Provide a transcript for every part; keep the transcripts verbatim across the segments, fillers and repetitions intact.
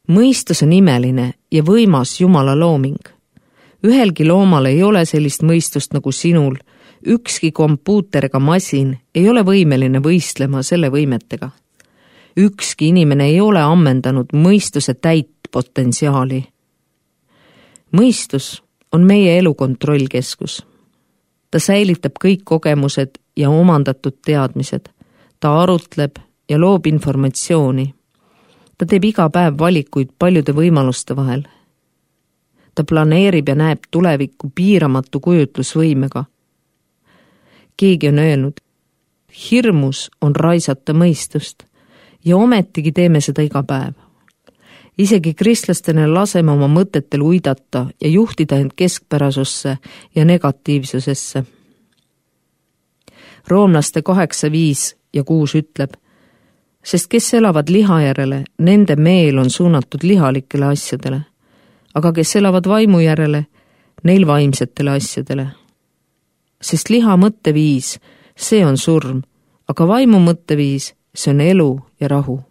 Mõistus on imeline ja võimas Jumala looming. Ühelgi loomal ei ole sellist mõistust nagu sinul. Ükski kompuuter ega masin ei ole võimeline võistlema selle võimetega. Ükski inimene ei ole ammendanud mõistuse täit potentsiaali. Mõistus on meie elu kontrollkeskus. Ta säilitab kõik kogemused ja omandatud teadmised. Ta arutleb ja loob informatsiooni. Ta teeb iga päev valikuid paljude võimaluste vahel. Ta planeerib ja näeb tulevikku piiramatu kujutlusvõimega. Keegi on öelnud, hirmus on raisata mõistust ja ometigi teeme seda iga päev. Isegi kristlastena laseme oma mõtetel uidata ja juhtida end keskpärasusse ja negatiivsusesse. Roomlaste kaheksa, viis ja kuus ütleb, sest kes elavad liha järele, nende meel on suunatud lihalikele asjadele, aga kes elavad vaimu järele, neil vaimsetele asjadele. Sest liha mõtteviis, see on surm, aga vaimu mõtteviis, see on elu ja rahu.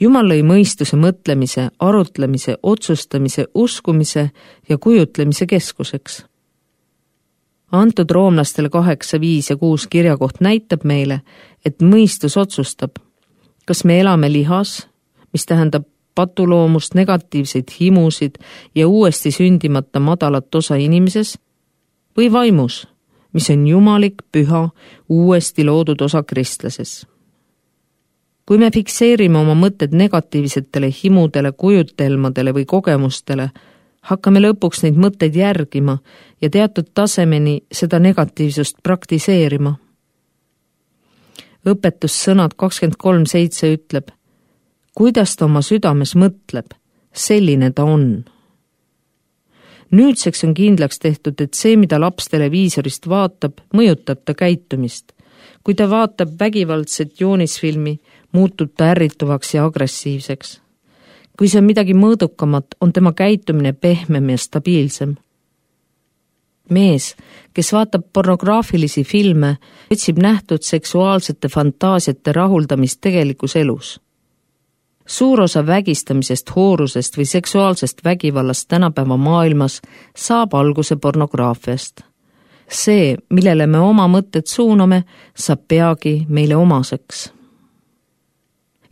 Jumal lõi mõistuse mõtlemise, arutlemise, otsustamise, uskumise ja kujutlemise keskuseks. Antud roomlastele kaheksa, viis ja kuus kirjakoht näitab meile, et mõistus otsustab, kas me elame lihas, mis tähendab patuloomust, negatiivseid himusid ja uuesti sündimata madalat osa inimeses, või vaimus, mis on jumalik, püha, uuesti loodud osa kristlases. Kui me fikseerime oma mõtted negatiivsetele himudele, kujutelmadele või kogemustele, hakkame lõpuks neid mõtteid järgima ja teatud tasemeni seda negatiivsust praktiseerima. Õpetussõnad kakskümmend kolm seitse ütleb, kuidas ta oma südames mõtleb, selline ta on. Nüüdseks on kindlaks tehtud, et see, mida laps televiisorist vaatab, mõjutab ta käitumist. Kui ta vaatab vägivaldset joonisfilmi, muutub ta ärrituvaks ja agressiivseks. Kui see on midagi mõõdukamat, on tema käitumine pehmem ja stabiilsem. Mees, kes vaatab pornograafilisi filme, otsib nähtud seksuaalsete fantaasiate rahuldamist tegelikus elus. Suur osa vägistamisest, hoorusest või seksuaalsest vägivallast tänapäeva maailmas saab alguse pornograafiast. See, millele me oma mõtted suuname, saab peagi meile omaseks.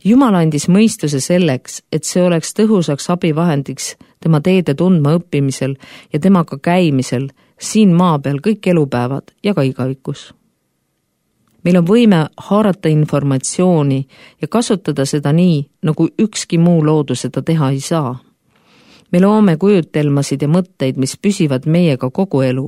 Jumal andis mõistuse selleks, et see oleks tõhusaks abivahendiks tema teede tundma õppimisel ja temaga käimisel siin maa peal kõik elupäevad ja ka igavikus. Meil on võime haarata informatsiooni ja kasutada seda nii, nagu ükski muu loodu seda teha ei saa. Me loome kujutelmasid ja mõtteid, mis püsivad meiega kogu elu.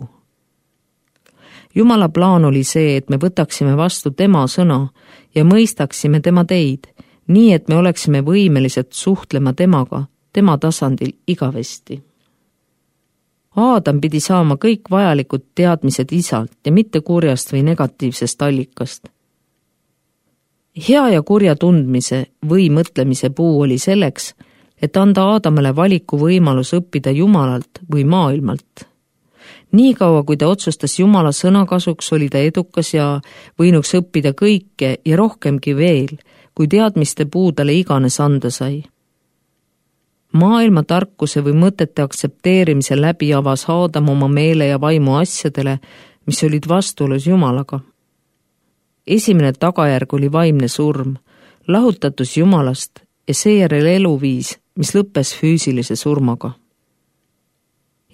Jumala plaan oli see, et me võtaksime vastu tema sõna ja mõistaksime tema teid, nii et me oleksime võimelised suhtlema temaga, tema tasandil igavesti. Aadam pidi saama kõik vajalikud teadmised isalt ja mitte kurjast või negatiivsest allikast. Hea ja kurja tundmise või mõtlemise puu oli selleks, et anda Aadamale valiku võimalus õppida Jumalalt või maailmalt. Nii kaua, kui ta otsustas Jumala sõna kasuks, oli ta edukas ja võinuks õppida kõike ja rohkemgi veel, kui teadmiste puu talle iganes anda sai. Maailma tarkuse või mõtete aktsepteerimise läbi avas Aadam oma meele ja vaimu asjadele, mis olid vastuolus Jumalaga. Esimene tagajärg oli vaimne surm, lahutatus Jumalast ja seejärel eluviis, mis lõppes füüsilise surmaga.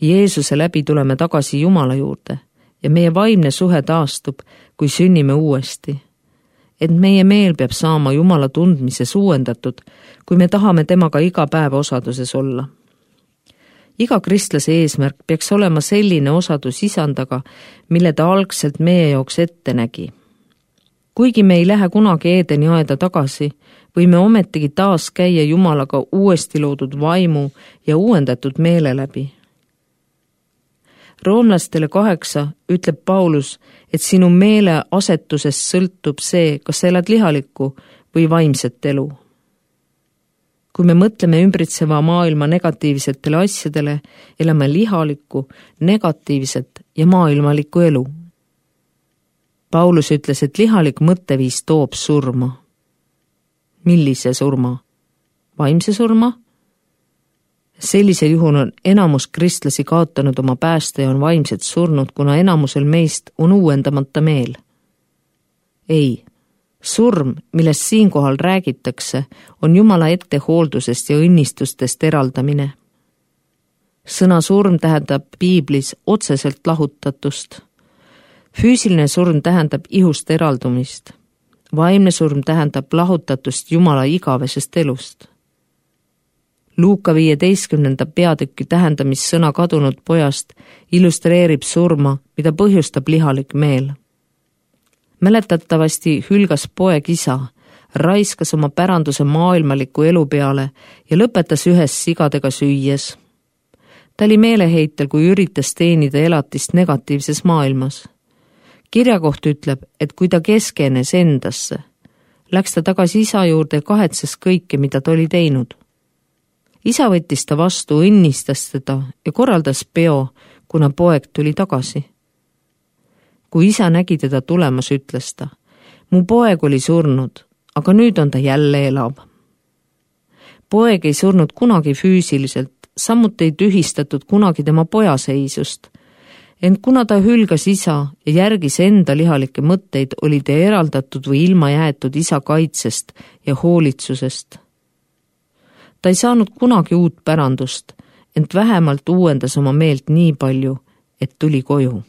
Jeesuse läbi tuleme tagasi Jumala juurde ja meie vaimne suhe taastub, kui sünnime uuesti. Et meie meel peab saama Jumala tundmises uuendatud, kui me tahame temaga iga päev osaduses olla. Iga kristlase eesmärk peaks olema selline osadus isandaga, mille ta algselt meie jaoks ette nägi. Kuigi me ei lähe kunagi Eedeni aeda tagasi, võime ometigi taas käia Jumalaga uuesti loodud vaimu ja uuendatud meele läbi. Roomlastele kaheksa ütleb Paulus, et sinu meele asetusest sõltub see, kas sa elad lihalikku või vaimset elu. Kui me mõtleme ümbritseva maailma negatiivsetele asjadele, elame lihalikku, negatiivset ja maailmalikku elu. Paulus ütles, et lihalik mõtteviis toob surma. Millise surma? vaimse surma? Sellisel juhul on enamus kristlasi kaotanud oma pääste ja on vaimselt surnud, kuna enamusel meist on uuendamata meel. Ei, surm, millest siinkohal räägitakse, on Jumala ettehooldusest ja õnnistustest eraldamine. Sõna surm tähendab piiblis otseselt lahutatust. Füüsiline surm tähendab ihust eraldumist. Vaimne surm tähendab lahutatust Jumala igavesest elust. Luuka viieteistkümnenda peatüki tähendamissõna kadunud pojast illustreerib surma, mida põhjustab lihalik meel. Mäletatavasti hülgas poeg isa, raiskas oma päranduse maailmaliku elu peale ja lõpetas ühes sigadega süües. Ta oli meeleheitel, kui üritas teenida elatist negatiivses maailmas. Kirjakoht ütleb, et kui ta keskenes endasse, läks ta tagasi isa juurde ja kahetses kõike, mida ta oli teinud. Isa võttis ta vastu, õnnistas teda ja korraldas peo, kuna poeg tuli tagasi. Kui isa nägi teda tulemas, ütles ta, mu poeg oli surnud, aga nüüd on ta jälle elav. Poeg ei surnud kunagi füüsiliselt, samuti ei tühistatud kunagi tema pojaseisust, ent kuna ta hülgas isa ja järgis enda lihalikke mõtteid, oli ta eraldatud või ilma jäetud isa kaitsest ja hoolitsusest. Ta ei saanud kunagi uut pärandust, ent vähemalt uuendas oma meelt nii palju, et tuli koju.